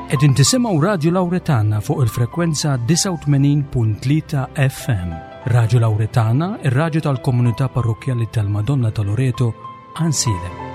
Qegħdin tisimgħu Radju Lawretana fuq il-frekwenza 89.3 FM. Radju Lawretana, ir-radju tal-komunità parrokkjali tal-Madonna ta' Loreto, Ansilem.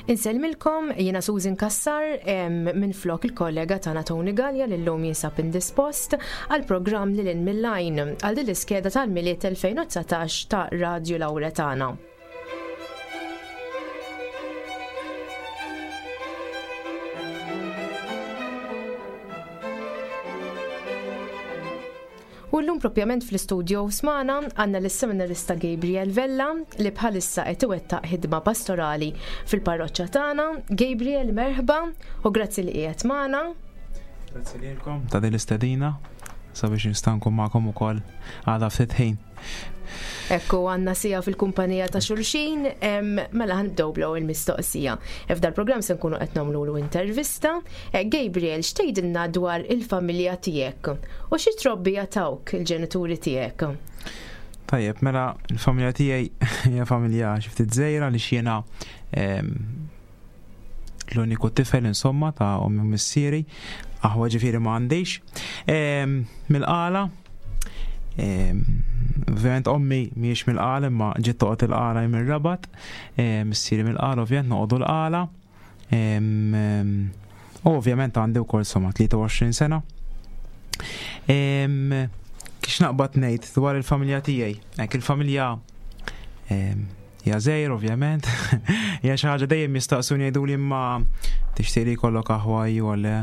Insellmilkom, jiena Susan Kassar minn flok il-kollega tagħna Tony Gallia li llum jinsab indispost għal programm lil mill-lajn għal din l-iskeda tal-Milied 2019 ta' Radio Lauretana. U llum propjament fl-istudio smana għandna lis-seminarista Gabriel Vella li bħalissa qed iwettaq ħidma pastorali fil-parroċċa tagħna. Gabriel, merħba u grazzi li qiegħed magħna. Grazzi lilkom ta' din l-istedina sabiex nista' nkun magħkom ukoll għada ftit ħin. Ekku għanna sija fil-kumpanija ta' xulxin, mela ħanibdew bl il-mistoqsija. F'dal program se nkunu qed nagħmlu intervista. Eh, Gabriel, x'tgħidilna dwar il-familja tiegħek? U xi trobbija tawk il-ġenituri tiegħek? Tajjeb, mela il-familja tiegħi hija familja xi ftit żgħira li x'jiena l-uniku tifel insomma ta' ommi u missieri, aħwa ġifieri ma għandix. Mill-qala, ovvjament ommi mhijiex mill-qala imma ġiet toqgħod il-qala mir-rabat, missieri mill-qala ovvjament noqogħdu l-qala. U ovvjament għandi wkoll somma 23 sena. Kix naqbad ngħid dwar il-familja tiegħi, hekk il-familja Hija żgħir ovvjament. Hija xi ħaġa dejjem jistaqsuni jgħiduli imma tixtieq li jkollok aħwa jew le.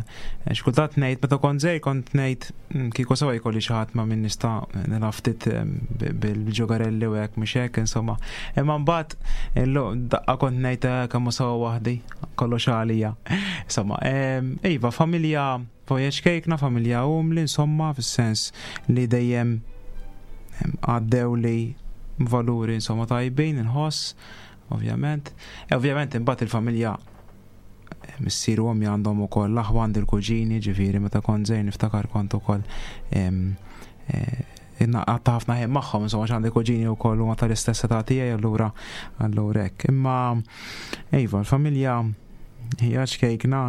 Xi kultant ngħid meta kont żgħir kont ngħid hmm, kieku sewa jkolli xi ħadd ma' min nista' nilgħab ftit eh, bil-ġogarelli u hekk mhux hekk insomma. Imma mbagħad daqqa kont ngħid eh, kemm sewa waħdi kollox għalija. Insomma, eh, iva familja Voyage kejkna, familja umli, insomma, fis-sens li dejjem għaddew li valuri insomma tajbin, inħoss, ovvjament. E ovvjament imbagħad il-familja eh, missier u ommi għandhom ukoll l-aħwa għandi l-kuġini, ġifieri meta kont żgħir niftakar kont ukoll eh, għatta ħafna ħin magħhom, insomma għandi kuġini wkoll huma tal-istess età tiegħi allura allura hekk. Imma iva, l-familja hija ċkejkna,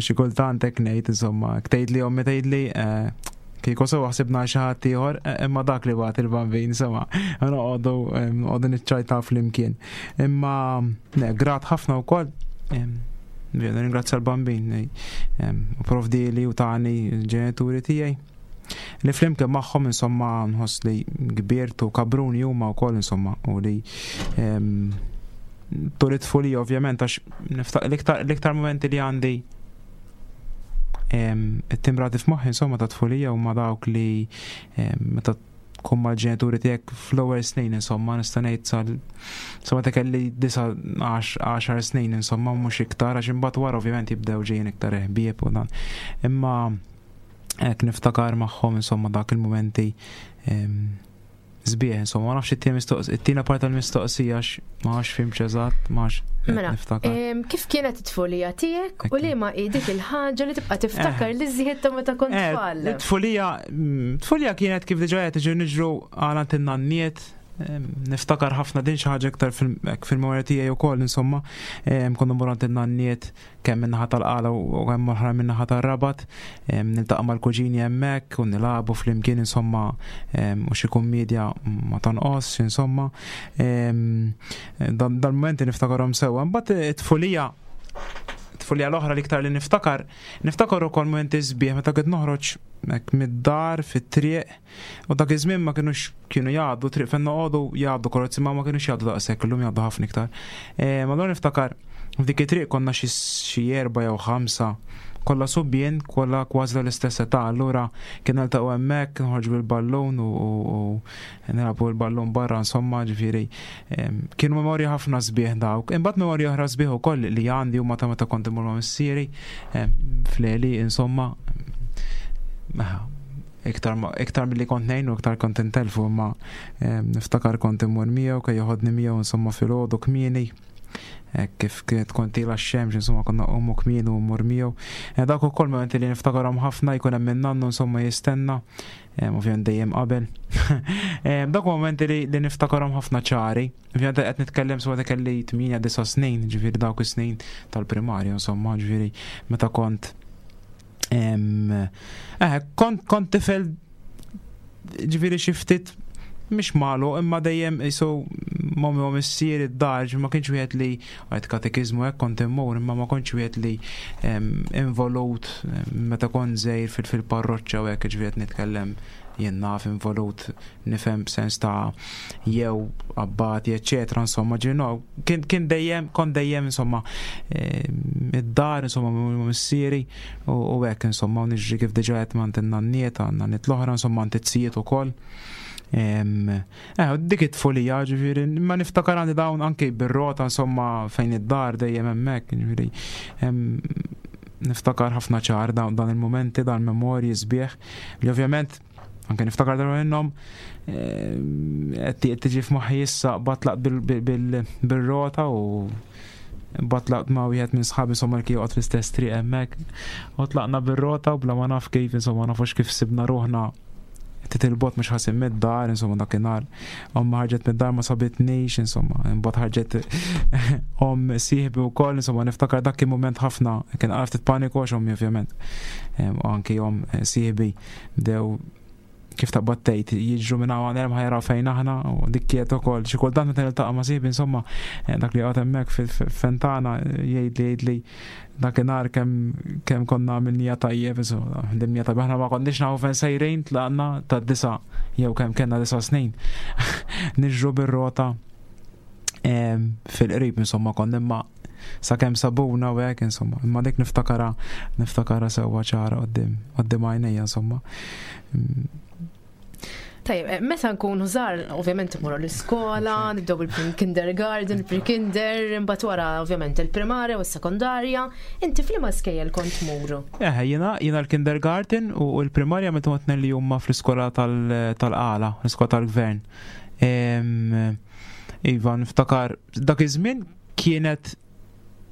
xi kultant hekk ngħid insomma, tgħid li ommi tgħid li eh, kieku sewa ħsibna xi ħadd ieħor, eh, imma dak li bagħat il-bambin, insomma, noqogħdu noqogħdu niċċajta flimkien. Imma ne, grat ħafna wkoll. Ringrazzja l-bambin, u provdi li u tani l-ġenituri tiegħi. Li flimkien magħhom insomma nħoss li kbirt u kabruni huma wkoll insomma u li tul it-tfulija ovvjament għax l-iktar momenti li għandi it-timrati f'moħħi insomma ta' tfulija huma dawk li meta tkun mal-ġenituri tiegħek fl-ewwel snin insomma nista' ngħid sal insomma ta' kelli 9 10 snin insomma mhux iktar għax imbagħad wara ovvjament jibdew ġejjin iktar ħbieb u dan. Imma hekk niftakar magħhom insomma dak il-mumenti. Sbieħ, insomma, ma nafx it-tieni mistoqsija, it-tieni parti tal-mistoqsija għax ma nafx fimx eżatt, ma nafx mela, niftakar. Kif kienet it-tfulija tiegħek u li ma hi dik il-ħaġa li tibqa' tiftakar eh. li żjed ta' meta kont eh, tfal? Tfulija, mm, tfulija kienet kif diġà qed tiġi niġru għal in-nanniet, niftakar ħafna din xi ħaġa iktar fil-memorja tiegħi wkoll insomma, konna mmur għand in-nanniet kemm min-naħa tal-Qala u kemm oħra min-naħa tar-Rabat, niltaqa' mal-kuġini hemmhekk u nilagħbu flimkien insomma u xi kummedja ma tonqosx insomma. Dal-mumenti niftakarhom sewwa. Imbagħad it-tfulija tfulija l-oħra l-iktar li niftakar, niftakar ukoll mumenti sbieħ meta kont noħroġ hekk mid-dar fit-triq U dak iż-żmien ma kinux kienu jgħaddu triq fejn noqogħdu jgħaddu karozzi ma ma kinux jgħaddu daqshekk illum jgħaddu ħafna iktar. E, ma allura niftakar f'dik it-triq konna xi erba' jew ħamsa kollha subbien, kollha kważi tal-istess età, allura kien niltaqgħu hemmhekk, noħorġu bil-ballun u nilagħbu bil-ballun barra insomma, ġifieri kienu memorji ħafna sbieħ dawk. Imbagħad memorji oħra sbieħ ukoll li għandi huma ta' meta kont imur ma' missieri fl-għeli insomma. Iktar, iktar milli kont ngħin u iktar kont intelfu imma niftakar kont immur miegħu kej joħodni miegħu insomma filgħodu kmieni. Kif kienet kont ilha x-xemx insomma konna qomu kmieni u mmur miegħu. Eh, dak ukoll momenti li niftakarhom ħafna jkun hemm min-nannu insomma jistenna, ovvjament dejjem qabel. Dak momenti li, li niftakarhom ħafna ċari. Ovvjament qed nitkellem swa kelli 8 9 snin, ġifieri dawk is-snin tal-primarja insomma, ġifieri meta kont Eh, kont kont tifel ġifieri xi ftit mhix malu imma dejjem jisu mommi u missier id-dar ma kienx wieħed li għajt katekiżmu hekk kont immur imma ma kontx wieħed li involut meta kont żgħir fil-parroċċa u hekk ġifieri nitkellem jien naf involut nifhem b'sens ta' jew abbati eċetera insomma ġino kien kien dejjem kont dejjem insomma eh, id-dar insomma missieri u hekk insomma u niġri kif diġà qed ma' nanniet għandna nit l-oħra insomma għand it-sijiet ukoll. Eh, dik it-tfulija ġifieri, ma niftakar għandi dawn anke bir-rota insomma fejn id-dar dejjem hemmhekk, ġifieri niftakar ħafna ċar dan il-momenti, dan il-memorji sbieħ li ovvjament anke niftakar darba minnhom eh, qed tiġi f'moħħi issa batlaq bil-rota u batlaqt ma' wieħed minn sħabi insomma li joqgħod fl-istess triq hemmhekk. U tlaqna bir-rota u bla ma naf kif insomma nafux kif sibna ruħna titilbot mhux ħasin mid-dar, insomma dakinhar. Omma ħarġet mid-dar ma sabitnix, insomma, imbagħad ħarġet om sieħbi wkoll, insomma niftakar dak kien mument ħafna, kien għaraf titpaniku għax ommi ovvjament. U anki om sieħbi bdew kif taqbad tgħid jiġru minn hawn hemm ħajraw fejn aħna u dik kienet ukoll xi kultant meta niltaqa' ma' sieħbi insomma eh, dak li qgħod hemmhekk fil-fentana jgħid li jgħid li dakinhar kemm kemm konna għamilnija tajjeb, insomma, ħdimnija tajjeb, aħna ma konniex nafu fejn sejrin tlaqna ta' disa jew kemm kellna disa snin. Niġru bir-rota fil-qrib insomma konna imma sakemm sabuna u hekk insomma, imma dik niftakara niftakara sewwa ċara qudiem qudiem għajnejja insomma. Tajjeb, eh, meta nkunu żgħar, ovvjament imorru l-iskola, nibdew bil-kindergarten, pre-kinder, imbagħad wara ovvjament il-primarja u s-sekondarja. Inti f'liema skejjel kont tmur? Eh, jiena jiena l-kindergarten u l-primarja meta kont li huma fl-iskola tal-qala, l-iskola tal-gvern. Iva, niftakar dak iż-żmien kienet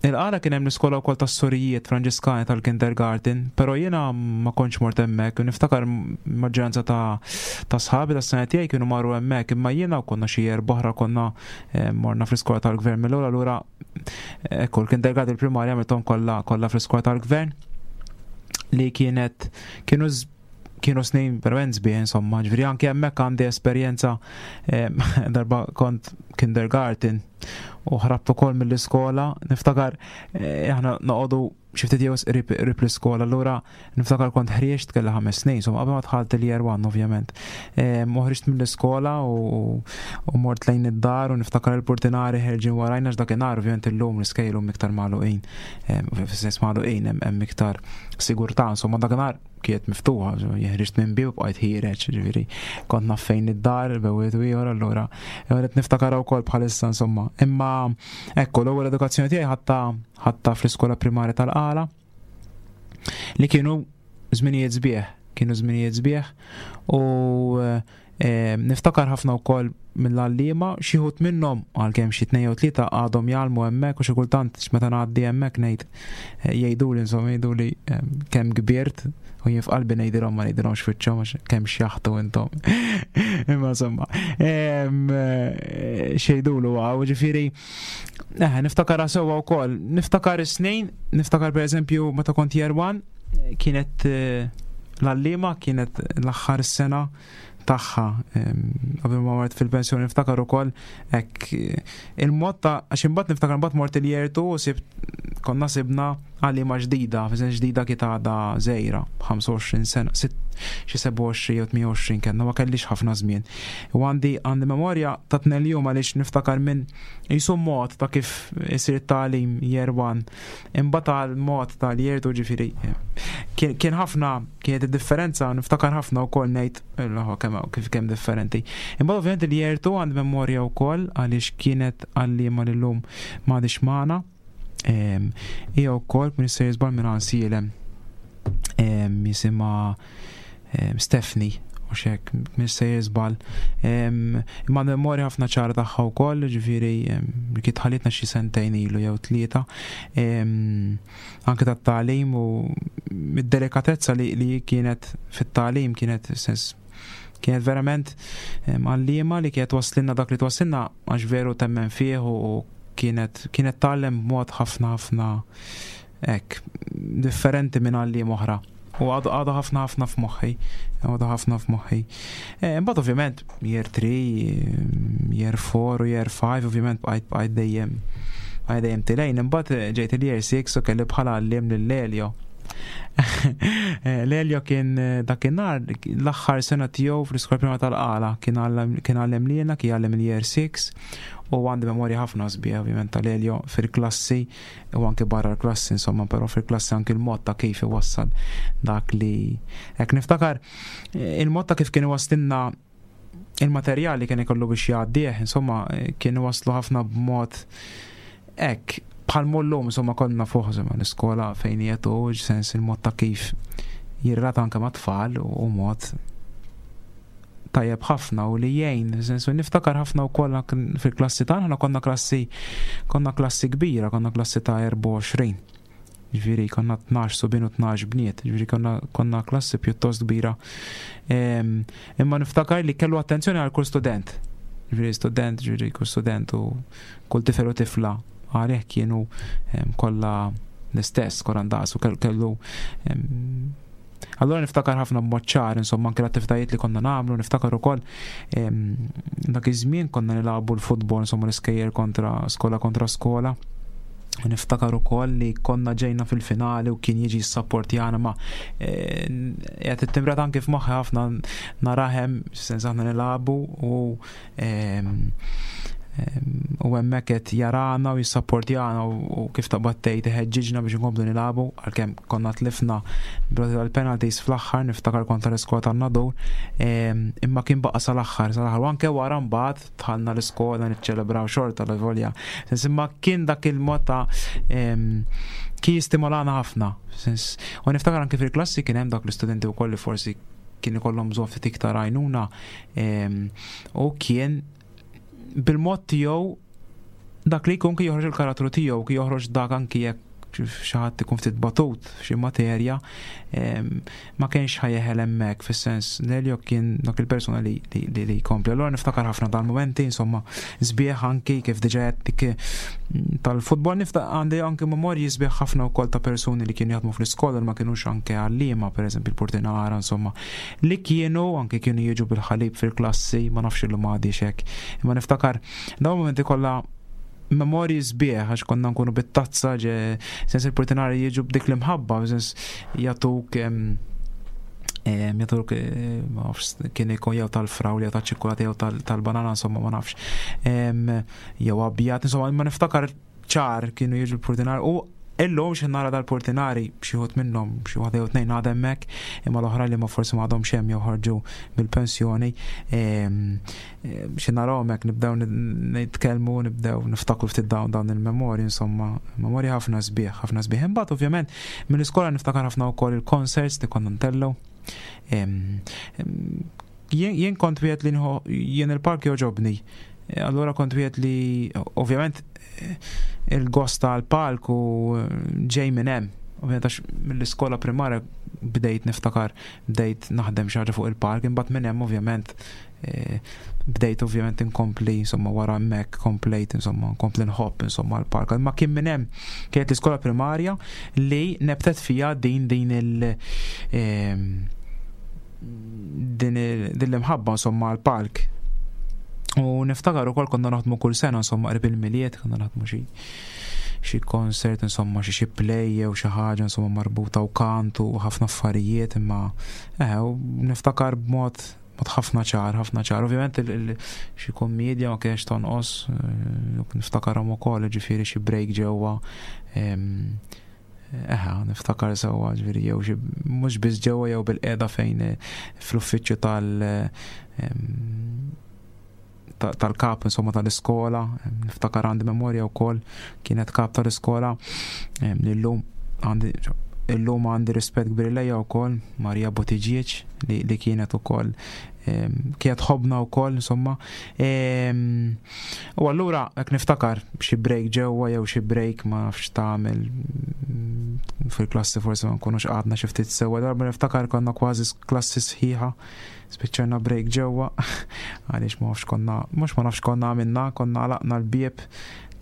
Il-għala kien hemm l-iskola wkoll tas-sorijiet Franġiskani tal-kindergarten, però jiena ma kontx mort hemmhekk u niftakar maġġoranza ta' ta' sħabi tas-sena tiegħi kienu marru hemmhekk, imma jiena u konna xi erba' oħra konna eh, morna fl-iskola tal-gvern mill-ewwel allura eh, ekku l-kindergarten il-primarja għamilthom kollha kollha fl-iskola tal-gvern li kienet kienu kienu snin verament sbieħ insomma, ġifieri anke hemmhekk għandi esperjenza eh, darba kont kindergarten u ħrabt ukoll mill-iskola, niftakar eh, aħna noqogħdu xi ftit jew qrib l-iskola, allura niftakar kont ħrieġt kellha ħames snin, insomma qabel ma dħalt il-year one ovvjament. Eh, u ħriġt mill-iskola u mort lejn id-dar u niftakar il-portinari ħerġin warajna x'dakinhar ovvjament illum l-iskejl hum iktar magħluqin, fis-sens magħluqin hemm iktar sigurtà, insomma dakinhar kienet miftuħa, jeħriġt minn bib bqajt ħireġ, ġifieri kont naf fejn id-dar, bewwiet u ieħor allura qed niftakar wkoll bħalissa insomma. Imma ekku l-ewwel edukazzjoni tiegħi ħatta ħatta fl-iskola primarja tal-Qala li kienu żminijiet sbieħ, kienu żminijiet sbieħ u eh, Niftakar ħafna wkoll mill-għalliema, xi wħud minnhom għalkemm xi tnejn jew tlieta għadhom jgħallmu hemmhekk u xi kultant meta ngħaddi hemmhekk ngħid eh, jgħiduli insomma jgħiduli kemm kbirt u jien f'qalbi ngħidilhom ma ngħidilhomx fiċċhom għax kemm xjaħtu intom. Imma insomma, eh, xejdulu għaw, ġifieri eh, niftakar sewwa wkoll, niftakar is-snin, niftakar pereżempju meta kont year one, kienet l-għalliema kienet l-aħħar sena tagħha qabel ma mort fil-pensjoni niftakar ukoll hekk il-mod ta' għax imbagħad niftakar imbagħad mort il-year 2 u sibt konna sibna għalliema ġdida, fi ġdida kienet għadha żgħira, 25 sena, xi 27 jew 28 kellna ma kellix ħafna żmien. U għandi għandi memorja ta' tnejn jum għaliex niftakar minn jisu mod ta' kif isir tagħlim year 1 Imbagħad għal mod tal-year 2 ġifieri kien ħafna kienet id-differenza niftakar ħafna wkoll ngħid l kemm kif kemm differenti. Imbagħad ovvjament il-year 2 għandi memorja wkoll għaliex kienet għalliema li llum m'għadix magħna. Hija wkoll minn se jiżbal minn Ansielem jisimha Stephanie u xek, minn se jiżbal. Imma memorja ħafna ċara tagħha wkoll, ġifieri li kien tħallitna xi sentejn ilu jew tlieta. Anke tat-tagħlim u id-delikatezza li, li kienet fit-tagħlim kienet sens kienet verament għalliema li kienet twasslilna dak li twassilna għax veru temmen fih u kienet kienet tgħallem b'mod ħafna ħafna Hekk, differenti minn għalliem oħra. U għadu għadu ħafna ħafna f'moħħi. Għadu ħafna f'moħħi. Eh, imbagħad ovvjament year 3, year 4 u year 5 ovvjament bqajt bqajt dejjem bqajt dejjem tilejn. Imbagħad eh, ġejt il-year 6 u kelli bħala għalliem lil Lelio. Eh, Lelio kien dakinhar l-aħħar sena tiegħu fl-iskola prima tal-qala kien għallem lilna, kien għallem il-year 6 u għandi memorja ħafna sbieħ ovvjament tal-Elio fil-klassi u anke barra l-klassi insomma, però fil-klassi anke il-mod ta' kif iwassal dak li hekk niftakar eh, il-mod ta' kif kien iwasslilna il-materjal li kien ikollu biex jgħaddih, insomma, eh, kien iwasslu ħafna b'mod hekk bħal mullum insomma konna fuq insomma l-iskola fejn jietu sens il-mod ta' kif jirrata anke ma' tfal u mod tajjeb ħafna u li jgħin, sensu niftakar ħafna wkoll fil-klassi tagħna aħna konna klassi konna klassi kbira, konna klassi ta' 24. Ġifieri konna 12 subien u 12 bniet, ġifieri konna, konna klassi pjuttost kbira. Imma niftakar li kellu attenzjoni għal kull student. Ġifieri student, ġifieri kull student u kull tifel u tifla għalih kienu kollha l-istess, kollha ndaqs u kellu Allura niftakar ħafna b'mod ċar, insomma, anke l-attivitajiet li konna nagħmlu, niftakar ukoll dak iż-żmien konna nilagħbu l-futbol, insomma, l-iskejjer kontra skola kontra skola. Niftakar ukoll li konna ġejna fil-finali u kien jiġi s-sapportjana ma eh, qed ittimrat anke f'moħħi ħafna narahem sens aħna nilagħbu u u hemmhekk qed jarana u jissapportjana u kif taqbad tgħid iħeġġiġna biex inkomplu nilagħbu għalkemm konna tlifna broti tal-penalties fl-aħħar niftakar kontra l-iskola tan-Nadur imma kien baqa' sal-aħħar sal-aħħar u anke wara mbagħad dħalna l-iskola niċċelebraw xorta l-volja. Sens imma kien dak il-mod ta' kien jistimolana ħafna. Sens u niftakar anke fil-klassi kien hemm dak l-istudenti wkoll li forsi kien ikollhom bżonn ftit iktar għajnuna u kien bil-mod tiegħu dak li jkun kien joħroġ il-karattru tiegħu, kien joħroġ dak anki jekk xi ħadd ikun ftit batut f'xi materja, ma kienx ħajeħel hemmhekk fis-sens Lelio kien dak il-persuna li li jkompli. Allura niftakar ħafna dal-momenti, insomma, sbieħ anki kif diġà qed dik mm, tal-futbol niftakar għandi anki memorji sbieħ ħafna wkoll ta' persuni li kienu jaħdmu fl-iskola li ma kinux anke għalliema, pereżempju il-portinara, insomma, li kienu anke kienu jiġu bil-ħalib fil-klassi, ma nafx illum għadix hekk. Imma niftakar dawn momenti kollha memorji sbieħ għax konna nkunu bit-tazza ġe sens il-portinari jiġu b'dik l-imħabba, sens jagħtuk jagħtuk eh, ma nafx kien ikun jew tal-frawl jew tal-ċikkulata jew tal-banana insomma ma nafx. Jew abjad, insomma ma niftakar ċar kienu jiġu l-portinari u illum xi nara dal-portinari xi wħud minnhom xi waħda jew tnejn għadha hemmhekk imma l-oħra li ma forsi ma għadhomx hemm jew ħarġu bil-pensjoni xi narahom hekk nibdew nitkellmu nibdew niftakru ftit dawn dawn il-memorji insomma memorji ħafna sbieħ ħafna sbieħ. Imbagħad ovvjament mill-iskola niftakar ħafna wkoll il-concerts li konna ntellgħu. Jien kont wieħed li jien il-palk joġobni. E, allura kont wieħed li ovvjament e, il-gost tal-palk u e, ġej minn hemm. Ovvjament għax mill-iskola primarja bdejt niftakar bdejt naħdem xi ħaġa fuq il-palk, imbagħad minn hemm ovvjament bdejt ovvjament inkompli insomma wara hemmhekk komplejt insomma nkompli nħobb insomma l-park. Ma kien minn hemm kienet l-iskola primarja li nebtet fija din din il din l-imħabba insomma l-palk. U niftakar ukoll konna naħdmu kull sena insomma qrib il-Milied konna naħdmu xi xi concert insomma xi xi play jew xi ħaġa insomma marbuta u kantu u ħafna affarijiet imma eh, u niftakar b'mod mod ħafna ċar, ħafna ċar. Ovvjament xi kommedja ma kienx tonqos, eh, niftakarhom ukoll ġifieri xi break ġewwa. Eħa, niftakar sewwa ġifieri jew xi mhux biss ġewwa jew bil-qiegħda fejn eh, fl-uffiċċju tal tal-kap insomma tal-iskola, niftakar għandi memorja wkoll kienet kap tal-iskola li llum għandi illum għandi rispett kbir lejha wkoll Maria Buttigieg li, li kienet ukoll kienet ħobna wkoll insomma. U allura hekk niftakar xi break ġewwa jew xi break ma nafx tagħmel mm, fil-klassi forsi ma nkunux qgħadna xi ftit sewwa darba niftakar konna kważi klassi sħiħa spiċċajna break ġewwa għaliex ma nafx konna mhux ma nafx konna għamilna konna għalaqna l-bieb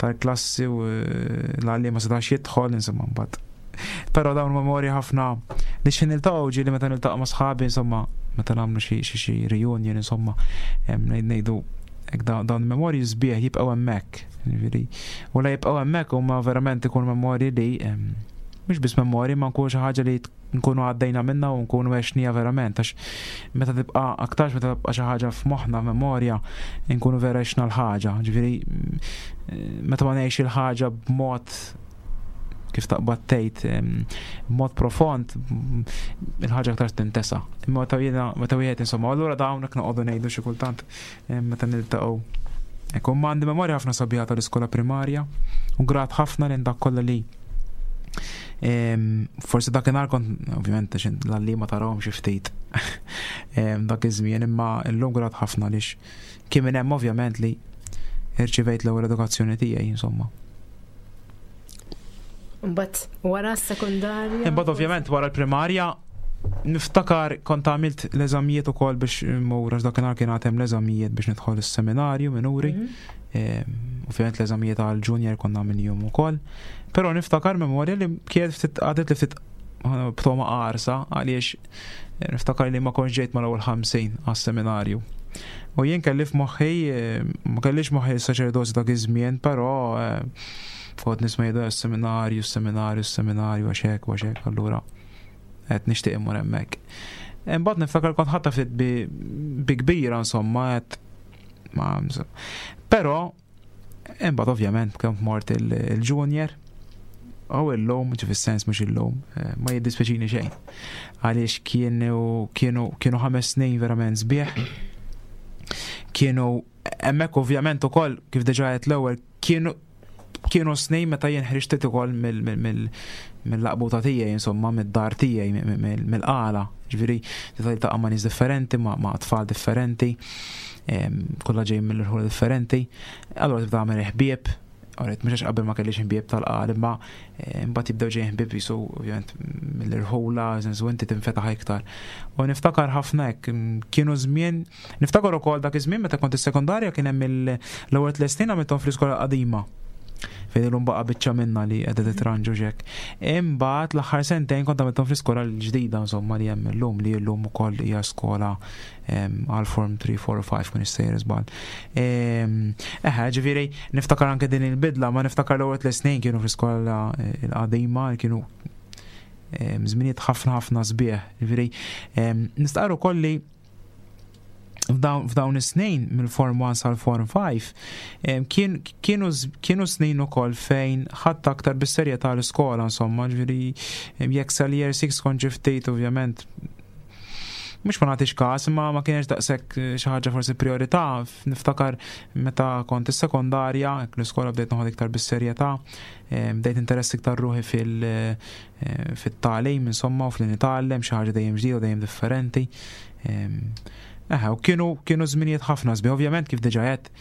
tal-klassi u eh, l-għalli ma setax jidħol insomma mbagħad. Però dawn memorji ħafna li xi niltaqgħu ġieli meta niltaqa' ma' sħabi insomma meta nagħmlu xi xi xi reunion insomma ngħidu hekk dawn memorji sbieħ jibqgħu hemmhekk. Ġifieri, u la jibqgħu hemmhekk huma verament ikun memorji li mhux biss memorji ma nkunu xi ħaġa li nkunu għaddejna minna u nkunu għexnija verament għax meta tibqa' aktarx meta tibqa' xi ħaġa f'moħħna memorja nkunu vera għexna l-ħaġa. Ġifieri meta ma ngħix il-ħaġa b'mod kif taqbad tgħid b'mod profond il-ħaġa aktar tintesa. Imma meta jiena meta wieħed insomma, allura dawn hekk noqogħdu ngħidu xi kultant meta niltaqgħu. Ekku, ma għandi memorja ħafna sabiħa tal-iskola primarja u grat ħafna lejn dak kollha li forsi dakinhar kont ovvjament l-għalli ma tarahom xi ftit dak iż-żmien imma llum grat ħafna għaliex kien minn hemm ovvjament li irċivejt l-ewwel edukazzjoni tiegħi insomma. Mbagħad wara s-sekondarja. Imbagħad ovvjament wara l-primarja niftakar kont għamilt l-eżamijiet ukoll biex mmur għax dakinhar kien għad hemm l-eżamijiet biex nidħol is-seminarju minuri. Mhm. Ovvjament l-eżamijiet għal junior konna għamilhom ukoll. Però niftakar memorja li kienet ftit għadet li ftit b'toma qarsa għaliex eh, niftakar li ma kontx ġejt mal-ewwel 50 għas-seminarju. U jien kelli f'moħħi, eh, ma kellix moħħi s-saċerdozju dak iż-żmien, però eh, kont nisma' jgħidu s-seminarju, s-seminarju, s-seminarju għax hekk, għax hekk, allura qed nixtieq immur hemmhekk. Imbagħad niftakar kont ħatta ftit bi kbira insomma qed ma Però imbagħad ovvjament kemm mort il-junior u illum, ġi fis-sens mhux illum, eh, ma jiddispjaċini xejn. Għaliex kienu kienu kienu ħames snin verament sbieħ. Kienu hemmhekk ovvjament ukoll kif diġà qed l-ewwel kienu kienu snin meta jien ħriġt ukoll mill-laqbuta tiegħi, insomma, mid-dar tiegħi, mill-qala. Ġifieri, tista' ma' nies differenti, ma' tfal differenti, kollha ġejjin mill-irħula differenti. Allura tibda tagħmel ħbieb, Għaret, mhux għax qabel ma kellix ħbieb tal-qal, imma eh, mbagħad jibdew ġejjin ħbieb jisu ovvjament mill-irħula, sensu inti tinfetaħ iktar. U niftakar ħafna hekk, kienu żmien Niftakar ukoll dak iż-żmien meta kont is-sekondarja kien hemm l-ewwel tliet snin għamilthom fl-iskola qadima fejn illum baqa' biċċa minna li qiegħda titranġu xek. Imbagħad l-aħħar sentejn kont għamilthom fl-iskola l-ġdida insomma li hemm illum li llum ukoll hija skola għal form 3, 4 5 kun issejjer żball. Eħe, ġifieri niftakar anke din il-bidla, ma niftakar l-ewwel tliet snin kienu fl-iskola eh, l-qadima kienu żminijiet ħafna ħafna sbieħ. Ġifieri nistqarru kolli f'dawn is-snin mill-Form 1 sal-Form 5 kienu kienu snin ukoll fejn ħadd aktar bis-serjetà l-iskola insomma, ġifieri jekk sal-year 6 kont ġi ftit ovvjament mhux ma nagħtix każ, imma ma kienx daqshekk eh, xi ħaġa forsi priorità. Niftakar meta kont is-sekondarja, l-iskola bdejt noħod iktar bis-serjetà, bdejt interess iktar ruħi fil- eh, fit-tagħlim insomma u fl nitgħallem xi ħaġa dejjem ġdida dejjem differenti. Eħe, u kienu kienu żminijiet ħafna sbieħ, ovvjament kif diġà għedt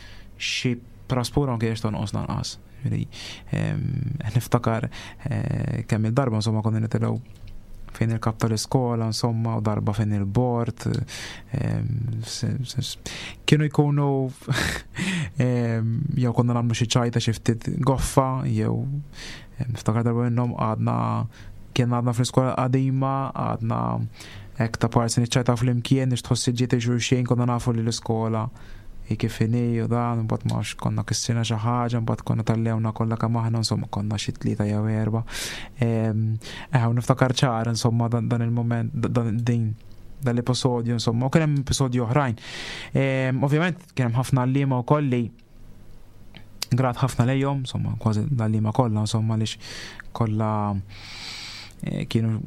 xi praspura ma kienx tonqos lanqas. Niftakar eh, kemm il-darba insomma konna nitilgħu fejn il-kap tal-iskola, insomma, u darba fejn il-bord. Kienu jkunu jew konna nagħmlu xi ċajta xi ftit goffa, jew niftakar darba minnhom għadna kien għadna fl-iskola qadima, għadna hekk ta' parsi niċċajta flimkien biex tħossi ġiet xulxin konna nafu li l-iskola hi kif inhi u dan, mbagħad ma nafx konna kissirna xi ħaġa, mbagħad konna tallewna kollha kemm aħna, insomma konna xi tlieta jew erba'. Eh, u niftakar ċar insomma dan il-moment dan din dan l-episodju insomma, u kien hemm episodju oħrajn. Ovvjament kien hemm ħafna għalliema wkoll li grat ħafna lejhom, insomma, kważi l-għalliema kollha, insomma, għaliex kollha eh, kienu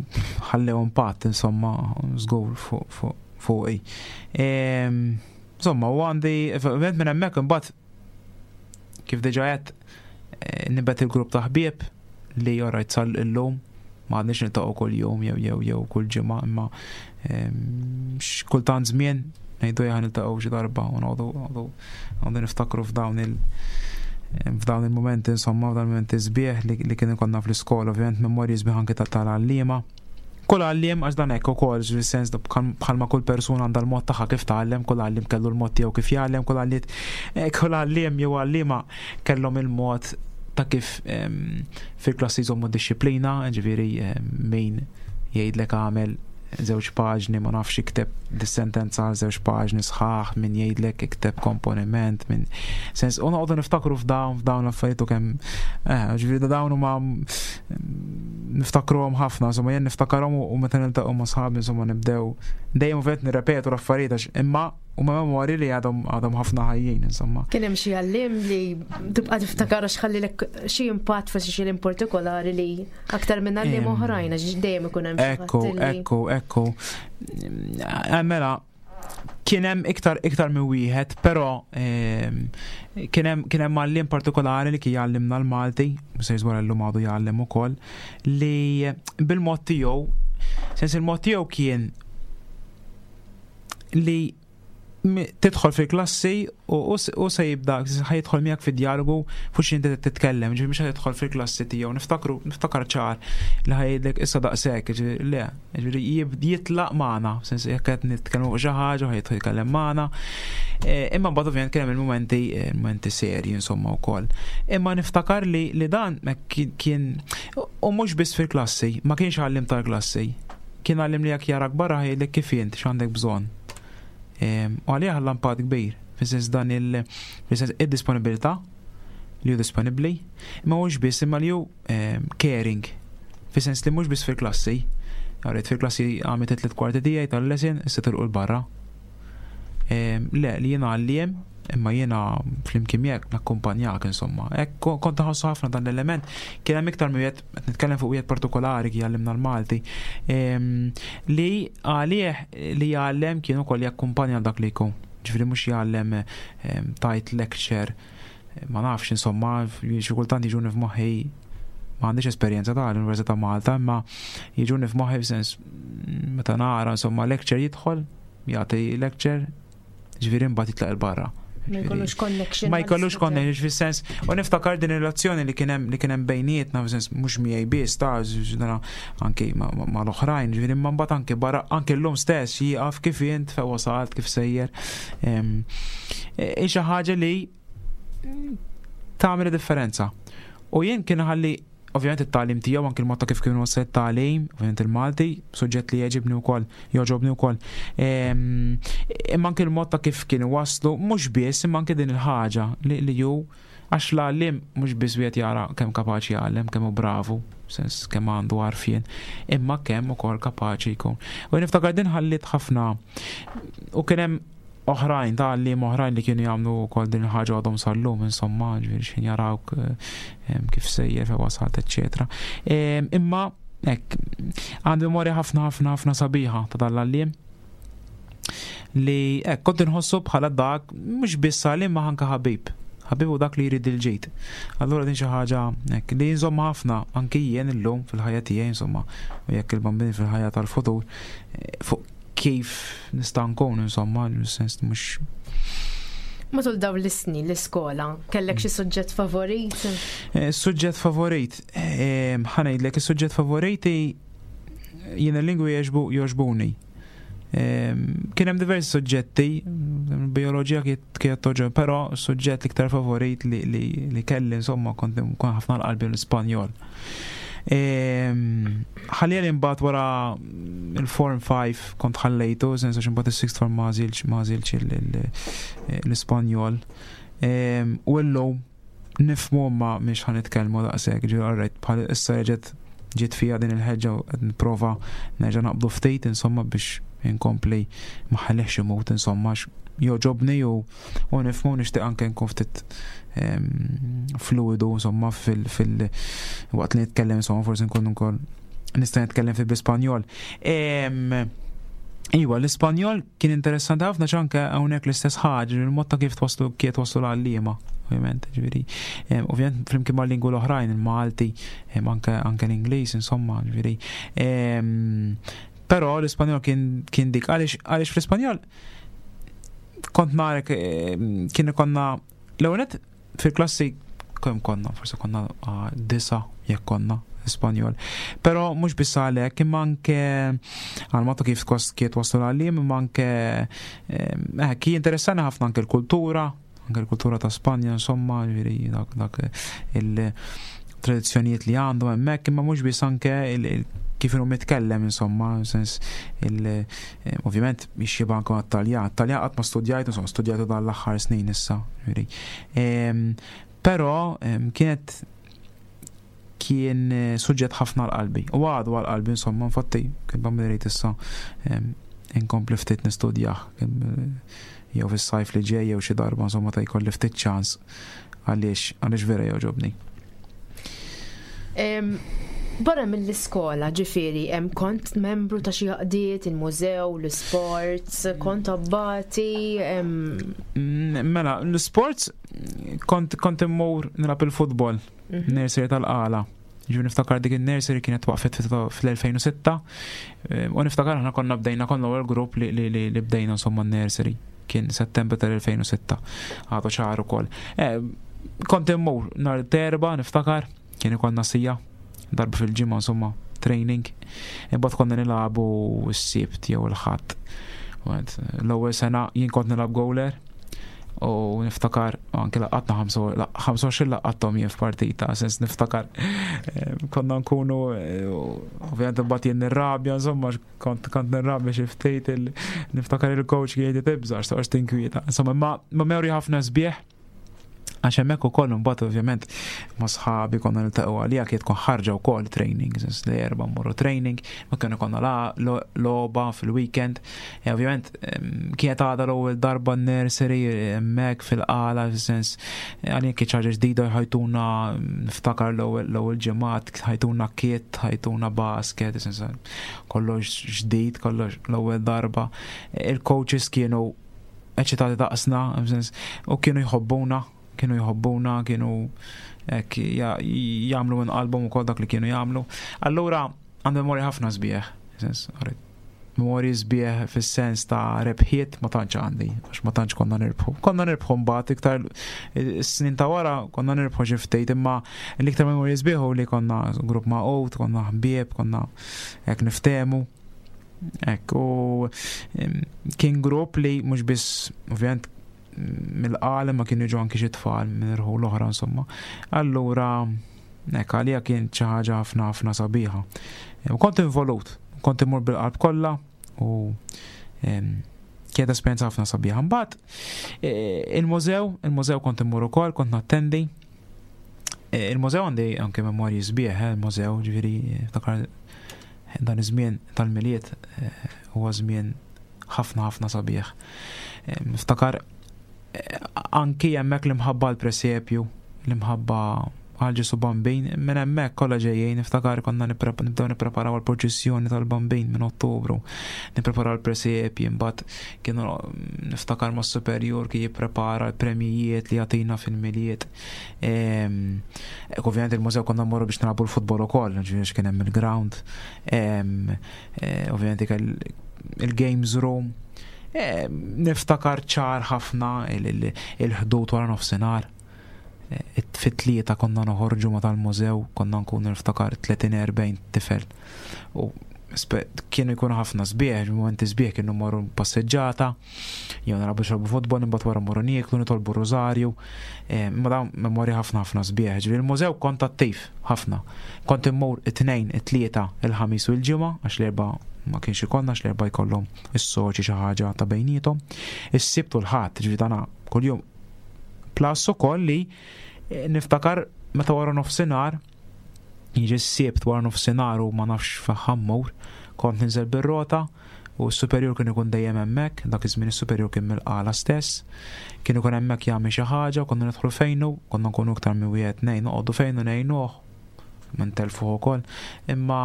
ħallew impatt, insomma, żgur fuqi. Insomma, u għandi, ovvjament minn hemmhekk imbagħad kif diġà għedt eh, nibet il-grupp ta' ħbieb li jorajt sal illum ma għadniex niltaqgħu kull jum jew jew jew kull ġimgħa imma ehm, kultant żmien ngħidu jaħ niltaqgħu xi darba u noqogħdu noqogħdu niftakru f'dawn il f'dawn il-momenti insomma f'dawn il-momenti sbieħ li, li kien ikollna fl-iskola, ovvjament memorji sbieħ anke tal-għalliema. Kull għalliem għax dan hekk ukoll, fis-sens bħalma kull persuna għandha l-mod tagħha kif tgħallem, kull għalliem kellu l-mod tiegħu kif jgħallem, kull għalliet eh, kull għalliem jew għalliema kellhom il-mod ta' kif ehm, fil-klassi jżommu dixxiplina, ġifieri ehm, min jgħidlek għamel żewġ paġni ma nafx ikteb dis-sentenza għal żewġ paġni sħaħ min jgħidlek ikteb komponiment minn sens u noqogħdu niftakru f'dawn f'dawn l-affarijiet u kemm eh, ġifieri dawn huma niftakruhom ħafna, insomma jien niftakarhom u meta niltaqgħu ma' sħabi insomma nibdew dejjem ovvjament nirrepetu l-affarijiet għax imma huma memorji li għadhom għadhom ħafna ħajjin insomma. Kien hemm xi għalliem li tibqa' tiftakar għax ħallilek xi impatt forsi xi partikolari li aktar minn għalliem oħrajn għax dejjem ikun hemm Ekku, ekku, ekku. Eh, mela, kien hemm iktar iktar minn wieħed, però ehm, kien hemm kien hemm għalliem partikolari li kien jgħallimna l-Malti, se jżwar llum għadu jgħallem ukoll, li bil-mod tiegħu, sens il-mod tiegħu kien li tidħol fil-klassi u se jibda ħajidħol miegħek fid-dialogu fuq xi inti titkellem, ġifieri mhux ħajidħol fil-klassi tiegħu. Niftakru, niftakar ċar li ħajdlek issa daqshekk, ġifieri le, ġifieri jitlaq magħna, sens jekk qed nitkellmu fuq xi ħaġa ħajidħol jitkellem magħna. E, imma mbagħad ovvjament kien hemm il-mumenti e, mumenti serji insomma wkoll. Imma niftakar li li dan kien u mhux biss fil-klassi, ma kienx għallim tal-klassi. Kien għallim li jekk jarak barra ħajdlek kif int x'għandek bżonn. U għalih ħalla impatt kbir, fis-sens dan il fis-sens id-disponibilità li hu disponibbli, imma mhux biss imma li hu caring, fis-sens li mhux biss fil-klassi. Għaret fil-klassi għamilt it-tliet kwarti tiegħi tal-lesson, issa tilqu l-barra. Le, li jiena għalliem, imma jiena flimkien miegħek nakkumpanjak insomma. Hekk kont nħossu ħafna dan l-element. Kien hemm iktar minn wieħed qed nitkellem fuq wieħed partikolari kien jgħallimna l-Malti, li għalih li jgħallem kien ukoll jakkumpanja dak li jkun. Ġifieri mhux jgħallem tajt lecture, ma nafx insomma, xi kultant jiġuni f'moħħi ma għandix esperjenza ta' l-Università ta' Malta, imma jiġuni f'moħħi f'sens meta nara insomma lecture jidħol, jagħti lecture, Ġifieri mbagħad jitlaq il-barra. Ma jkollux connection. Ma jkollux connection fis-sens. U niftakar din ir-relazzjoni li kien hemm li kien hemm bejnietna fis-sens mhux miegħi biss ta' anki ma l-oħrajn, ġifieri imma mbagħad anki barra anki llum stess jieqaf kif int fejn wasalt kif sejjer. E, xi ħaġa li tagħmel differenza. U jien kien ħalli Ovvjament it-tagħlim tiegħu anki l-mod ta' kif kien wassal it-tagħlim, ovvjament il-Malti, suġġett li jogħġibni wkoll, jogħġobni wkoll. Ehm, imma anki l-mod ta' kif kien waslu, mhux biss, imma anki din il-ħaġa li, li ju għax l-għallim mhux biss wieħed jara kemm kapaċi jgħallem, kemm hu bravu, sens kemm għandu għarfien, imma kemm ukoll kapaċi jkun. U niftakar din ħallit ħafna u kien hemm oħrajn, ta' għalliem oħrajn li kienu jagħmlu wkoll din il-ħaġa għadhom sal-lum, insomma, ġifieri x'ħin jarawk eh, kif sejjer fejn wasalt, eċċetera. Imma hekk għandi memorja ħafna ħafna ħafna sabiħa ta' dan l-għalliem li hekk kont inħossu bħala dak mhux biss għalliem ma anke ħabib. Ħabib u dak li jrid il-ġid. Allura din xi ħaġa hekk li nżomma ħafna anki jien illum fil-ħajja tiegħi insomma u jekk il-bambini fil-ħajja tal-futur eh, fuq kif nista' nkun insomma, sens mhux Matul dawn l-snin l-iskola, kellek xi suġġett favorit? Eh, suġġett favorit, eh, ħa ngħidlek, is-suġġett favoriti jien il-lingwi jogħġbuni. Kien hemm diversi suġġetti, bioloġija kienet togħġob, però suġġett l-iktar favorit li, li, li kelli insomma kont nkun ħafna l-qalbi l-Ispanjol. Ħalli li mbagħad wara il-Form 5 kont ħallejtu, sens għax imbagħad is-sixth form ma għażilx l-Ispanjol. U llum nifhmu ma mhix ħa nitkellmu daqshekk, ġifieri alright, bħal issa reġgħet ġiet fija din il-ħeġġa u qed nipprova nerġa' naqbdu ftit insomma biex inkompli ma ħallihx imut insomma għax jogħġobni u u nifhmu nixtieq anke nkun ftit fluidu insomma fil, fil waqt li nitkellem insomma forsi nkun ukoll nista' nitkellem fi bl-Ispanjol. Iwa, l-Ispanjol kien interessanti ħafna ċanke hawnhekk l-istess ħaġa, il-mod ta' kif twaslu kiet waslu l-għalliema, ovvjament, ġifieri. Ovvjament flimkien mal-lingwi l-oħrajn, il-Malti, anke anke l-Ingliż, insomma, ġifieri. Però l-Ispanjol kien kien dik għaliex għaliex fl-Ispanjol kont narek kien ikonna l-ewwel fil-klassi kemm konna, forsi konna ah, disa jekk konna Ispanjol. Però mhux biss għalhekk, imma anke għal matu kif kiet waslu l-għallim, imma anke eh, kien interessani ħafna anke l-kultura, anke l-kultura ta' Spanja, insomma, ġifieri dak dak il-tradizzjonijiet li għandhom hemmhekk, imma mhux biss anke kif inhu mitkellem insomma, sens il eh, ovvjament jixxiba anke mat-Taljan. Taljan qatt ma studjajt, insomma, studjajtu dan l-aħħar snin issa, ġifieri. Però kienet kien eh, suġġett ħafna l-qalbi. U għadu għal-qalbi, insomma, infatti, kien bammi issa inkompli ftit nistudjah eh, jew fis-sajf li ġej jew xi darba insomma ta' jkolli ftit ċans għaliex għaliex vera jogħġobni. Barra mill-iskola, ġifieri, hemm kont membru ta' xi għaqdiet, il-mużew, l-sports, kont abbati. Mm, mela, l-sports kont kont immur nilgħab il-futbol, mhm. nursery tal-qala. Ġifieri niftakar dik il-nursery kienet waqfet fl-2006 u niftakar aħna konna bdejna konna l grupp li, li, li, li bdejna insomma nursery kien settembru tal-2006 għadu ċar ukoll. Eh, kont immur nhar terba niftakar kien ikollna sija darba fil-ġimgħa insomma training. Imbagħad konna nilagħbu s-sibt jew il-ħadd. L-ewwel sena jien kont nilgħab goaler u niftakar anke laqatna 25 laqatthom jien f'partita, sens niftakar eh, konna nkunu eh, ovvjament imbagħad jien nirrabja insomma kont kont nirrabja xi ftit niftakar il-coach kien jgħid tibża' x'toqgħodx tinkwieta. Insomma ma memorji ħafna sbieħ Għax hemmhekk ukoll imbagħad ovvjament ma' sħabi konna niltaqgħu għalija kien tkun ħarġa wkoll training, sens li erba' mmorru training, ma kienu konna logħba fil-weekend. E ovvjament kienet għadha l-ewwel darba nursery hemmhekk fil-qala, sens għalija kien ħaġa ġdida ħajtuna niftakar l-ewwel ġimgħat, ħajtuna kit, ħajtuna basket, sens kollox ġdid, kollox l-ewwel darba. Il-coaches kienu eċitati daqsna, u kienu jħobbuna, kienu jħobbuna, kienu hekk jagħmlu minn qalbhom ukoll dak li kienu jagħmlu. Allura għandu memorja ħafna sbieħ, sens, memorji sbieħ fis-sens ta' rebħiet ma tantx għandi, għax ma tantx konna nirbħu. Konna nirbħu mbagħad iktar is-snin ta' wara konna nirbħu xi ftit, imma l-iktar memorji sbieħ li konna grupp ma' konna ħbieb, konna hekk niftehmu. Ekk, u kien grupp li mhux biss ovvjament mill-qal ma kienu ġo anki xi tfal minn irħu l-oħra insomma. Allura hekk għalija kien xi ħaġa ħafna ħafna sabiħa. U kont involut, kont immur bil-qalb kollha u kienet esperjenza ħafna sabiħa. Mbagħad e, il-mużew, il-mużew kont immur ukoll, kont nattendi. E, il-mużew għandi anke memorji sbieħ, eh, il-mużew, ġifieri Dan iż-żmien tal-Milied eh, huwa żmien ħafna ħafna sabiħ. Eh, niftakar eh, anki hemmhekk l-imħabba għall-presepju, l-imħabba għal Ġesu Bambin, minn hemmhekk kollha ġejjin, niftakar konna nibdew nippreparaw għall-purċissjoni tal-Bambin minn Ottubru, nippreparaw l-presepji, imbagħad kienu niftakar mas-superjur kien jipprepara l-premjijiet li jagħtina fil-Milied. Ehm, ovvjament il-mużew konna mmorru biex nilagħbu l-futbol ukoll, ġifieri kien hemm il-ground. Ehm, eh, ovvjament il-games room. Ehm, niftakar ċar ħafna il-ħdud wara nofsinhar. Eh, fit-tlieta konna noħorġu ma tal-mużew, konna nkunu niftakar 30-40 tifel. U kienu jkunu ħafna sbieħ, momenti sbieħ kienu morru passeġġata, jew narabu xorbu futbol, imbagħad wara morru nieklu, nitolbu rożarju. Eh, imma dawn memorja ħafna ħafna sbieħ. Ġifieri il-mużew kont attiv ħafna. Kont immur it-tnejn, it-tlieta, il-ħamis u l-ġimgħa għax l-erba' ma kienx ikollna għax l-erba' jkollhom is-soċi xi ħaġa ta' bejniethom. Is-sibt u l-ħadd, ġifieri dana kuljum. Plus ukoll li eh, niftakar meta wara nofsinhar Jiġi s-Sibt wara nofsinhar u ma nafx fejn ħa mmur, kont ninżel bir-rota u s-superjur kien ikun dejjem hemmhekk, dak iż-żmien is-superjur kien mill-Qala stess. Kien ikun hemmhekk jagħmel xi ħaġa u konna nidħlu fejnu, konna nkunu iktar minn wieħed tnejn noqogħdu fejnu ngħinuh, ma ntelfuh ukoll. Imma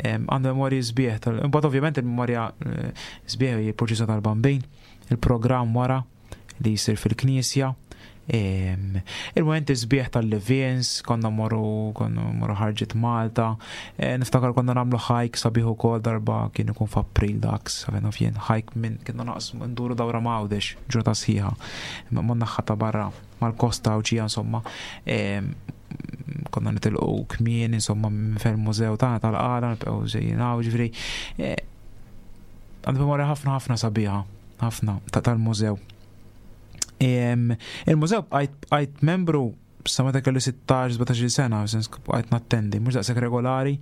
għandu memorji sbieħ tal Imbagħad ovvjament il-memorja eh, sbieħ hi l-purċissjoni tal-Bambin, il-programm wara li jsir fil-knisja. Il-momenti sbieħ tal-Levins, konna morru, konna morru ħarġet Malta, e, niftakar konna namlu ħajk sabiħ ukoll darba kien ikun f'April dak, sabiħ jien ħajk minn kienna naqsmu nduru dawra m'Għawdex, ġurnata sħiħa, ma naħħa ta' barra mal-kosta Għawdxija insomma. Konna nitilqu kmien insomma minn fil-mużew tagħna tal-qala, nibqgħu ġejjin hawn, ġifieri e, għandu memorja ħafna ħafna sabiħa ħafna ta' tal-mużew. Il-mużew bqajt membru sa meta kelli 16-17 sena, sens bqajt nattendi, mhux daqshekk regolari,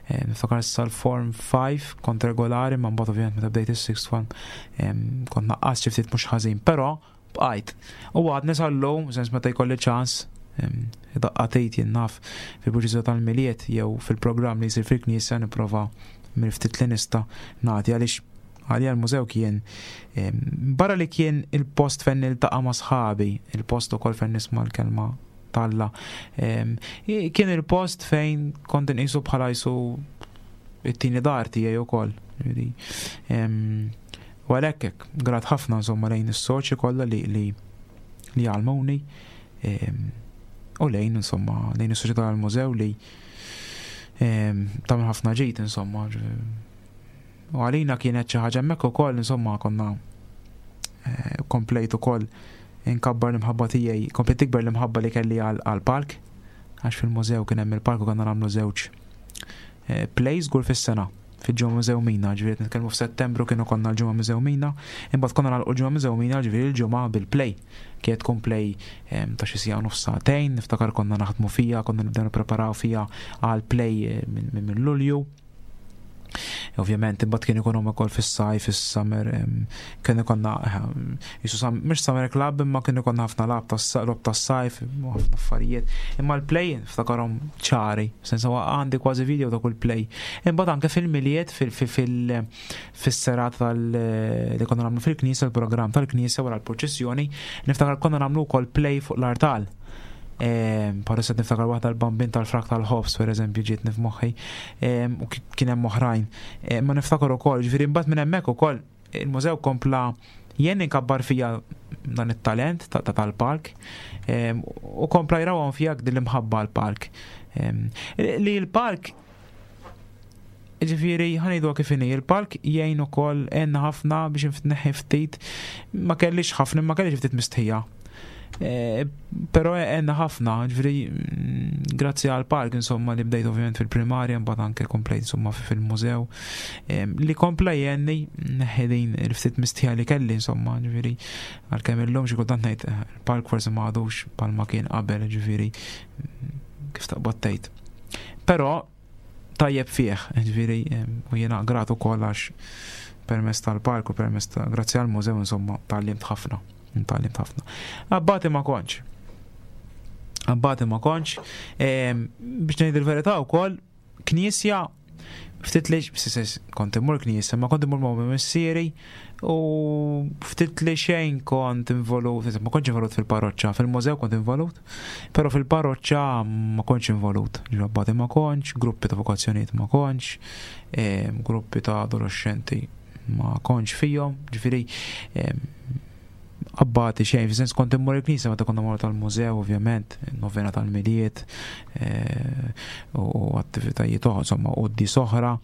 eh, niftakar sal-form 5 kont regolari, ma mbagħad ovvjament meta bdejt is-sixth form kont naqqas xi ftit mhux ħażin, però bqajt. U għadni sal-lum, sens meta jkolli ċans, daqqatejt jien naf fil-proċessjoni tal-Milied jew fil-programm li jsir fil-knisja nipprova mill-ftit li nista' nagħti għaliex Għalija l-mużew kien barra li kien il-post fejn niltaqa' ma' sħabi, il-post ukoll fejn nisma' l-kelma t'Alla. Kien il-post fejn kont inqisu bħala jisu it-tieni dar tiegħi ukoll. U għalhekk hekk, grat ħafna insomma lejn is-soċi kollha li li li għalmuni u lejn insomma lejn is-soċjetà tal-mużew li tagħmel ħafna ġid insomma. U għalina kienet xi ħaġa hemmhekk ukoll insomma konna eh, komplejt ukoll inkabbar l-imħabba tiegħi, komplejt tikber l-imħabba li kelli għall-park, għax fil-mużew kien hemm il-park u konna nagħmlu żewġ eh, plays żgur fis-sena fil-ġimgħa Mużew Mina, ġifieri nitkellmu f'Settembru kienu konna l-ġimgħa Mużew Mina, imbagħad konna nagħlqu l-ġimgħa Mużew Mina, ġifieri l-ġimgħa bil-play. Kienet tkun play eh, ta' xi siegħa nofs sagħtejn, niftakar konna naħdmu fija, konna nibdew nippreparaw fija għal play eh, minn Lulju. Ovvjament, imbagħad kien ikun ukoll fis-sajf, fis-summer, kien ikonna jisu mhux summer club imma kien ikonna ħafna lab tas-logħob tas-sajf, ħafna affarijiet. Imma l-play ftakarhom ċari, sensa għandi kważi video ta' kull play. Imbagħad anke fil-miliet fis-serata tal li konna nagħmlu fil-knisja, il-programm tal-knisja wara l-purċissjoni, niftakar konna nagħmlu wkoll play fuq l-artal. Parissa niftakar waħda l-bambin tal-frak tal-ħobs, per eżempju, ġiet nifmoħħi, u kien hemm oħrajn. Ma niftakar ukoll, ġifieri mbagħad minn hemmhekk ukoll il-mużew kompla jien inkabbar fija dan it-talent ta' tal-park u kompla jrawhom fija din l-imħabba l-park. Li l-park Ġifieri, ħanejdu kif inhi, il-palk jgħin ukoll għenna ħafna biex neħħi ftit, ma kellix ħafna, ma kellix ftit mistħija. E, però għenna ħafna, ġifieri, mm, grazzi għal park insomma li bdejt ovvjament fil-primarja, mbagħad anke komplejt insomma fil-mużew, e, li kompla jgħenni neħħi din il-ftit mistħija li kelli insomma, ġifieri, għalkemm illum xi kultant ngħid eh, il-park forsi ma għadux bħalma kien qabel, ġifieri, mm, kif taqbad tgħid. Però tajjeb fih, ġifieri u jiena grat ukoll għax permezz tal-park u permezz ta' grazzi għal mużew insomma tgħallimt ħafna, tgħallimt ħafna. Abbati ma kontx. Abbati ma kontx. Biex ngħid il-verità wkoll knisja Ftit li kont immur knisja, ma kont immur ma' missieri u ftit li xejn kont involut, ma kontx involut fil-parroċċa, fil-mużew kont involut, però fil-parroċċa ma kontx involut. Ġrabbati ma kontx, gruppi ta' vokazzjonijiet ma kontx, gruppi ta' adolescenti ma kontx fihom, ġifieri abbati xejn, fis-sens kont immur il-knisja meta konna morru tal-mużew, ovvjament, novena tal-Milied eh, u attivitajiet oħra, insomma, quddies oħra.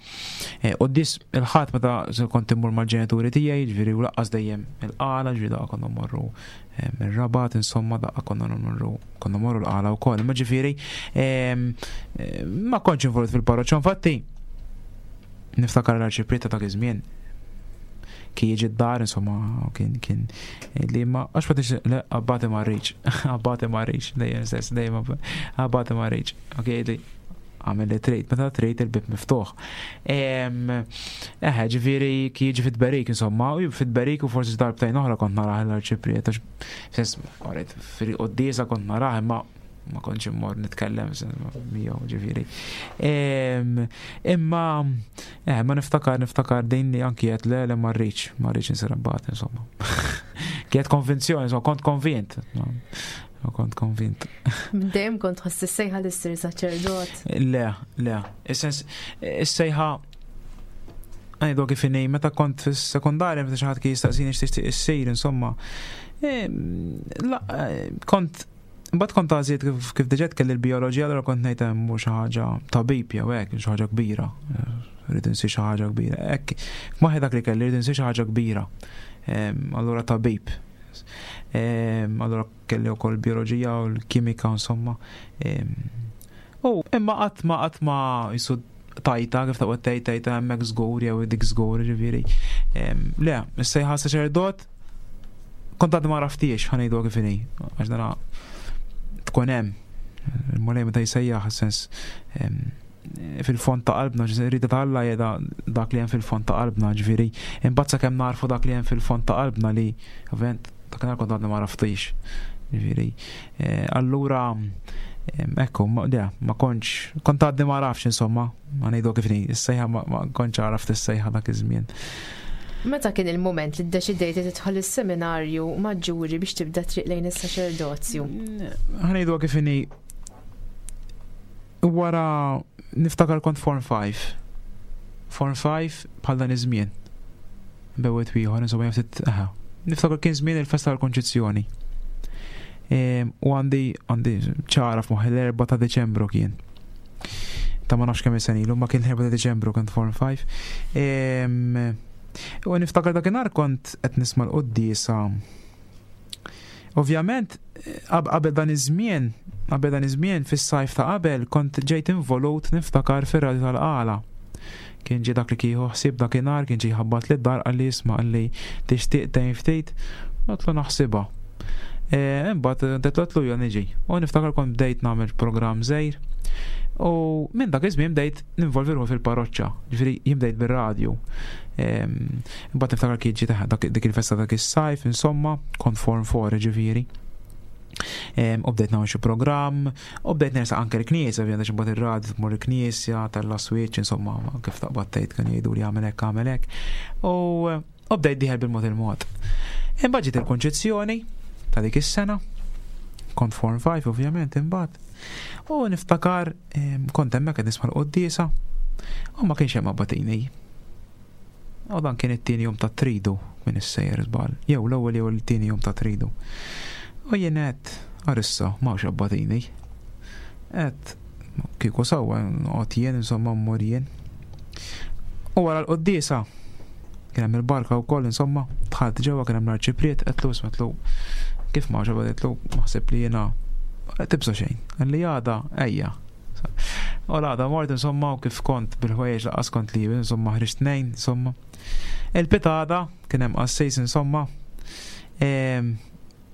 Eh, quddies il-ħadd meta kont immur mal-ġenituri tiegħi, ġifieri u laqqas dejjem il-qala, ġifieri daqqa konna mmorru eh, mir-Rabat, insomma, daqqa konna mmorru konna mmorru l-qala wkoll. Ma ġifieri ma kontx involut fil-parroċċa, infatti niftakar l-arċipriet ta' dak iż-żmien kien jiġi d-dar, insomma, kien kien li ma għax ma tix le abbati ma rridx, abbati ma rridx, dejjem stess, dejjem abbati ma rridx. Ok, li għamil li trid, meta trid il-bib miftuħ. Eħe, ġifieri kien jiġi fit-berik, insomma, u fit-berik u forsi darbtejn oħra kont narah l-arċipriet, għax sens, fil-quddiesa kont narah imma ma kontx immor nitkellem miegħu ġifieri. Imma eh, ma niftakar niftakar din li anki qed le le ma rridx, ma rridx insir abbat insomma. Kienet konvinzjoni, insomma, kont konvint. Kont konvint. Dejjem kont tħoss is-sejħa li ssir saċerdot. Le, le. Is-sens is-sejħa Għajdu kif inhi, meta kont fis-sekondarja, meta xi ħadd kien jistaqsini x'tixtieq issir, insomma. Eh, eh, kont Imbagħad kont għażiet kif, kif diġà kelli l-bijoloġija allura kont ngħid hemm mhux xi ħaġa tabib jew hekk, xi ħaġa kbira. Rrid insir xi ħaġa kbira. Hekk f'moħħi dak li kelli rrid insir xi ħaġa kbira. Allura tabib. Allura kelli wkoll bijoloġija u l-kimika insomma. U imma qatt ma qatt ma jisu tajta kif taqgħod tgħid tajta hemmhekk żgur jew dik żgur ġifieri. Le, is-sejħa saċerdot kont għad ma raftiex ħanejdu kif inhi, għax dana tkun hemm. Il-mulej meta jsejjaħ sens fil-fond ta' qalbna, rida ta' Alla jeda dak li hemm fil-fond ta' qalbna, ġifieri, imbagħad sakemm narfu dak li hemm fil-fond ta' qalbna li ovvjament dakinhar kont għadni ma raftix. Ġifieri, eh, allura ekku, ma, ma kontx, kont għadni ma rafx insomma, ma ngħidu kif ni, is-sejħa ma kontx għaraft is-sejħa dak iż-żmien. Meta kien il-mument li ddeċidejt li tidħol is-seminarju maġġuri biex tibda triq lejn is-saċerdozju? Ħanejdu kif inhi wara niftakar kont Form 5. Form 5 bħal dan iż-żmien. Bewet ieħor, insomma jaftit, aha. Niftakar kien żmien il-festa tal-Konċizzjoni. Ehm, u għandi għandi ċara f'moħħi l-4 ta' Deċembru kien. Ta' ma nafx kemm sena ilu, ma kien l-4 ta' Deċembru kont Form 5. Ehm, u niftakar dakinhar kont qed nisma' l-quddiesa. Ovvjament, qabel dan iż-żmien, qabel dan iż-żmien fis-sajf ta' qabel kont ġejt involut niftakar fir-radju tal-qala. Kien ġie dak li kieħu ħsieb dakinhar, kien ġie jħabbat lid dar qalli isma' qalli tixtieq tgħin ftit, għedtlu naħsibha. E, imbagħad għedtlu jo niġi. U niftakar kont bdejt nagħmel programm żgħir. U minn dak iż-żmien bdejt ninvolvi ruħi fil-parroċċa, ġifieri jien bdejt bir-radju. Imbagħad niftakar kien ġie dik il-festa dak is-sajf, insomma, kont form four ġifieri. U bdejt nagħmel xi programm, u bdejt nersaq anke l-knisja, ovvjament għax imbagħad ir-radju tmur il-knisja, tella' switch, insomma, kif taqbad tgħid kienu jgħidu li għamel hekk għamel hekk. U bdejt dieħel bil-mod il-mod. Imbagħad ġiet il-konċezzjoni ta' dik is-sena, kont form 5 ovvjament imbagħad. U niftakar kont hemmhekk qed nisma' l-quddiesa u ma kienx hemm abbatini. U dan kien it-tieni jum ta' tridu minn is-sejjer żball, jew l-ewwel jew it-tieni jum ta' tridu. U jien għedt, arissa, m'hawnx abbatini. Għedt, kieku sewwa noqgħod jien insomma mmur jien. U wara l-quddiesa kien hemm il-barka wkoll insomma, dħalt ġewwa kien hemm l-arċipriet, għedtlu isma' għedtlu kif m'hawnx abbatini, għedtlu naħseb li jiena tibża' xejn. Qalli għada ejja. U l-għada mort insomma u kif kont bil-ħwejjeġ laqqas kont li insomma ħriġt tnejn insomma. Il-pitada kien hemm qassis insomma. Ehm,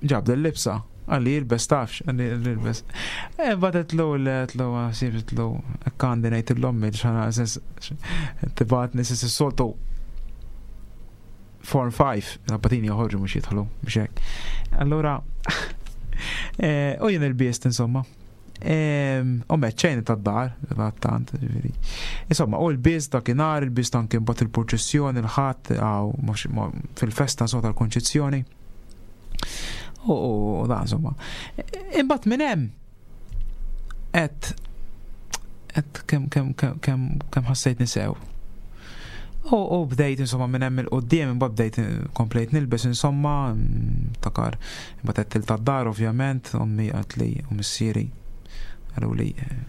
ġab l-libsa għalli jilbes tafx, għalli jilbes. E, Batet l l sibet l għandi nejt l-ommi, xana tibatni s soltu Form 5, l-abbatini joħorġu mux jidħlu, mux hekk. Allura, eh, u jien il-biest insomma. U meċċejn tad-dar, tant, ġifieri. Insomma, u l-biż dakinhar, il-biż anke mbagħad il-purċissjoni, il-ħadd, fil-festa insomma tal-Konċizzjoni. U da, insomma. Imbagħad minn hemm qed qed kemm kemm kemm kemm ħassejt nisew. U bdejt insomma minn hemm il-qudiem imbagħad bdejt komplejt nilbes insomma takar imbagħad qed til tad-dar ovvjament ommi qalt li u missieri qalu li eh,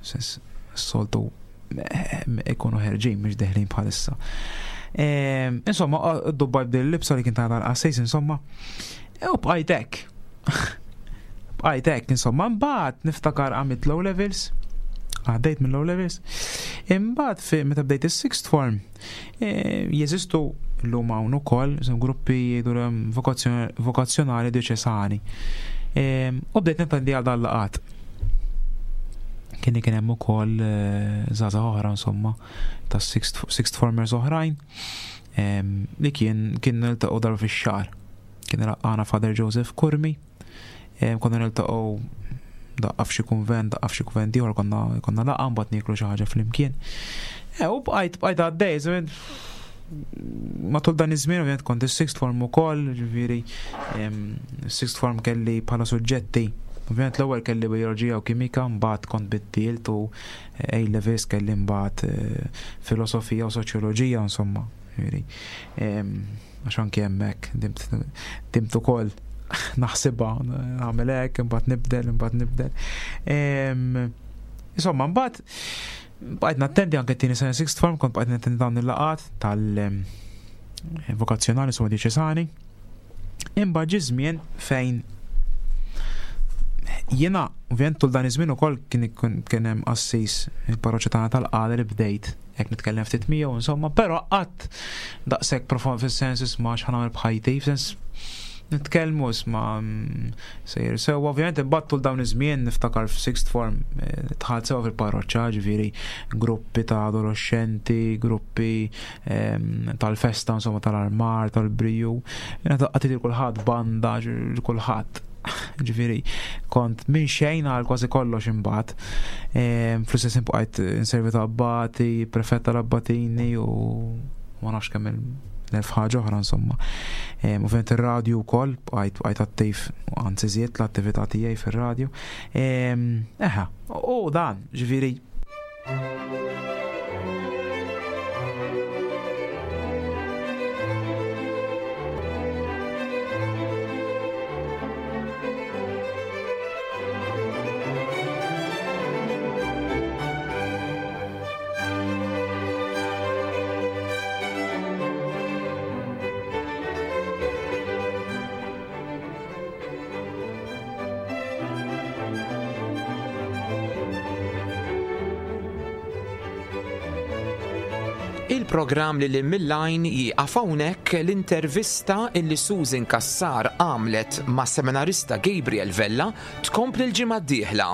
sens soltu eh, ikunu ħerġin mhux deħlin bħalissa. Ehm, insomma, dubbajt bdejt l-libsa li kien ta' dal-qassis insomma, u bqajt hekk. Bqajt hekk, insomma, mbagħad niftakar għamilt low levels, għaddejt minn low levels. Imbagħad fi meta bdejt is-sixth form, e, jeżistu llum hawn ukoll gruppi jgħidu vokazzjonali dioċesani. E, u bdejt nattendi għal dan laqat. Kien kien hemm ukoll e, żgħażagħ oħra insomma ta' sixth formers oħrajn li kien kien niltaqgħu darba fix-xahar. Kien laqqana Father Joseph Curmi, konna niltaqgħu daqqa f'xi kunvent, daqqa f'xi kunvent ieħor konna konna laqgħa mbagħad nieklu xi ħaġa flimkien. E, u bqajt bqajt għaddej, matul dan iż-żmien ovvjament kont is-sixth form ukoll, ġifieri sixth form kelli bħala suġġetti. Ovvjament l-ewwel kelli bioloġija u kimika, mbagħad kont biddilt u A levels kelli mbagħad eh, filosofija u soċjoloġija insomma. Ġifieri, għax anki hemmhekk dimt ukoll naħsibha nagħmel hekk, imbagħad nibdel, imbagħad nibdel. Insomma, mbagħad bqajt nattendi anke t-tieni sena sixth form, kont bqajt nattendi dawn il-laqat tal-vokazzjonali insomma diċesani. Imbagħad ġie żmien fejn jiena ovvjament tul dan iż-żmien ukoll kien kien hemm qassis il-parroċċa tagħna tal-qala li bdejt hekk nitkellem ftit miegħu insomma, però qatt daqshekk profond fis-sens isma' x'ħanagħmel b'ħajti, f'sens nitkellmu isma' mm, sejjer sew ovvjament imbagħad tul dawn iż-żmien niftakar f'sixth form eh, dħalt sew fil-parroċċa, ġifieri gruppi ta' adolescenti, gruppi ehm, tal-festa insomma tal-armar, tal-briju, qatt kulħadd banda, kulħadd. Ġifieri, kont minn xejn għal kważi kollox imbagħad. Ehm, fl-istess bqajt inservi ta' abbati, prefett tal-abbatini u ma nafx kemm l-elf ħaġa oħra insomma. Ehm, ovvjament ir-radju wkoll bqajt bqajt attiv anzi żied l-attività tiegħi fir-radju. Ehm, eħa, u dan, ġifieri Il-programm li lil mill-għajn jieqaf hawnhekk l-intervista illi Susan Cassar għamlet ma' seminarista Gabriel Vella tkompli l-ġimgħa d-dieħla.